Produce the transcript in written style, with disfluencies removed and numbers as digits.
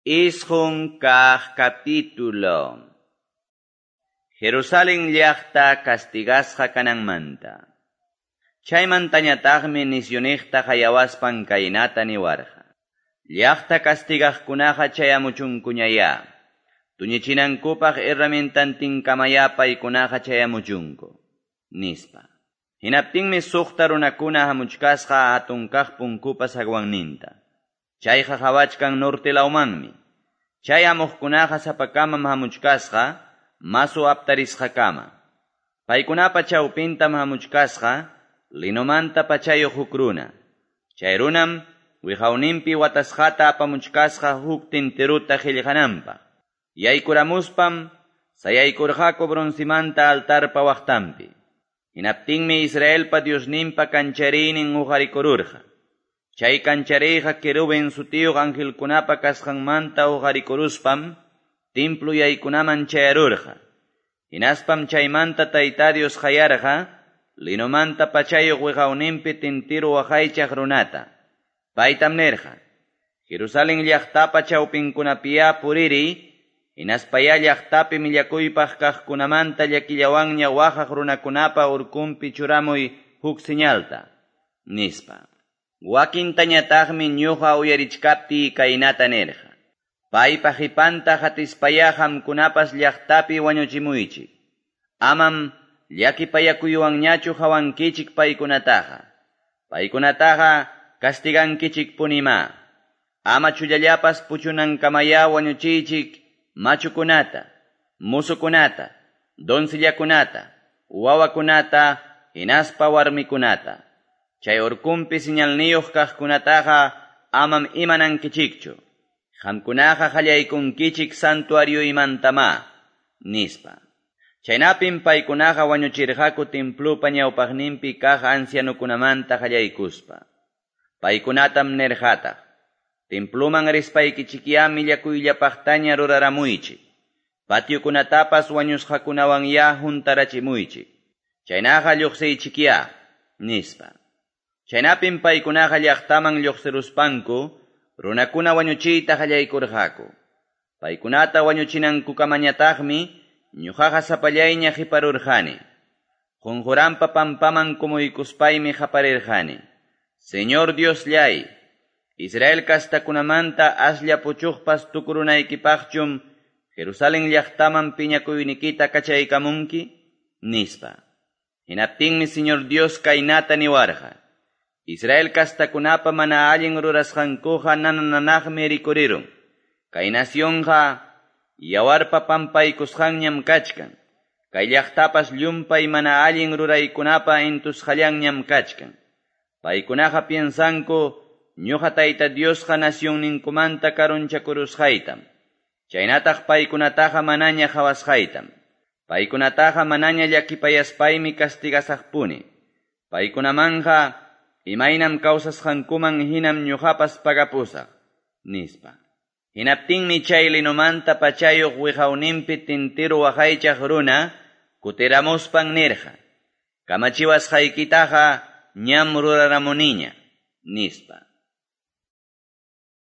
9 kaq capítulo. Jerusalén llaqta castigasqa kananmanta. Chaymantañataqmi nisyuniqta qayawaspan kaynata niwarqa. Llaqta castigaqkunaqa chayamuchunkuñayá. Tuñichinankupaq herramientantinkamayá paykunaqa chayamuchunku, nispa. Hinaptinmi 6 runakuna hamuchkasqa hatun kaq punkupa zaguanninta. Chayqa qawachkan norte lawmanmi. Chay hamuqkunaqa sapakamam hamuchkasqa masu aptarisqakama. Paykunapa chawpintam hamuchkasqa linomanta pachayuq huk runa. Chay runam wiqawninpi watasqata apamuchkasqa huk tintiruta qillqananpaq. Yaykuramuspam sayaykurqaku broncimanta altarpa waqtanpi. Hinaptinmi Israelpa Diosninpa kanchariynin huqarikururqa. Chay kanchariyqa querubin sutiyuq angelkunapa kasqanmanta huqarikuruspam templo yaykunaman chayarurqa. Hinaspam chaymanta Tayta Dios qayarqa linomanta pachayuq wiqawninpi tintiru waqaychaq runata. Paytam nirqa: Jerusalén llaqtapa chawpinkunapiyá puririy, hinaspayá llaqtapi millakuypaq kaqkunamanta llakillawanña waqaq runakunapa urkunpi churamuy huk señalta, nispa. Wakintañataqmi ñuqa uyarichkaptiy kaynata nirqa: Paypa qipanta qatispayá qamkunapas llaqtapi wañuchimuychik. Amam llakipayakuywanñachu qawankichik paykunataqa. Paykunataqa castigankichikpunimá. Ama chullallapas puchunankamayá wañuchiychik machukunata, musukunata, doncillakunata, wawakunata, hinaspa warmikunata. Chay urkunpi señalniyuq kaqkunataqa amam imanankichikchu. Qamkunaqa qallaykunkichik santuarioymantamá, nispa. Chaynapim paykunaqa wañuchirqaku templopa ñawpaqninpi kaq ancianokunamanta qallaykuspa. Paykunatam nirqataq: Temploman rispaykichikyá millakuyllapaqtaña ruraramuychik. Patiokunatapas wañusqakunawanyá huntarachimuychik. Chaynaqa lluqsiychikyá, nispa. Chaynapim paykunaqa llaqtaman lluqsiruspanku runakuna wañuchiyta qallaykurqaku. Paykunata wañuchinankukamañataqmi ñuqaqa sapallayña qiparurqani. Qunquranpa pampaman kumuykuspaymi qaparirqani: Señor Diosllay, Israel kastakunamanta aslla puchuqpas tukurunaykipaqchum Jerusalén llaqtaman piñakuynikita kachaykamunki, nispa. Hinaptinmi Señor Dios kaynata niwarqa: Israel kastakunapa mana allin rurasqankuqa nana-nanaqmi rikurirun. Kay nacionqa yawarpa pampaykusqanñam kachkan. Kay llaqtapas llumpay mana allin ruraykunapa intusqallanñam kachkan. Paykunaqa piensanku ñuqa Tayta Diosqa nacionninkumanta karunchakurusqaytam. Chaynataq paykunataqa manaña qawasqaytam. Paykunataqa manaña llakipayaspaymi castigasaqpuni. Paykunamanqa imaynam kawsasqankuman hinam ñuqapas pagapusaq, nispa. Hinaptinmi chay linomanta pachayuq wiqawninpi tintiru waqaychaq runa kutiramuspan nirqa: Kamachiwasqaykitaqa ñam ruraramuniña, nispa.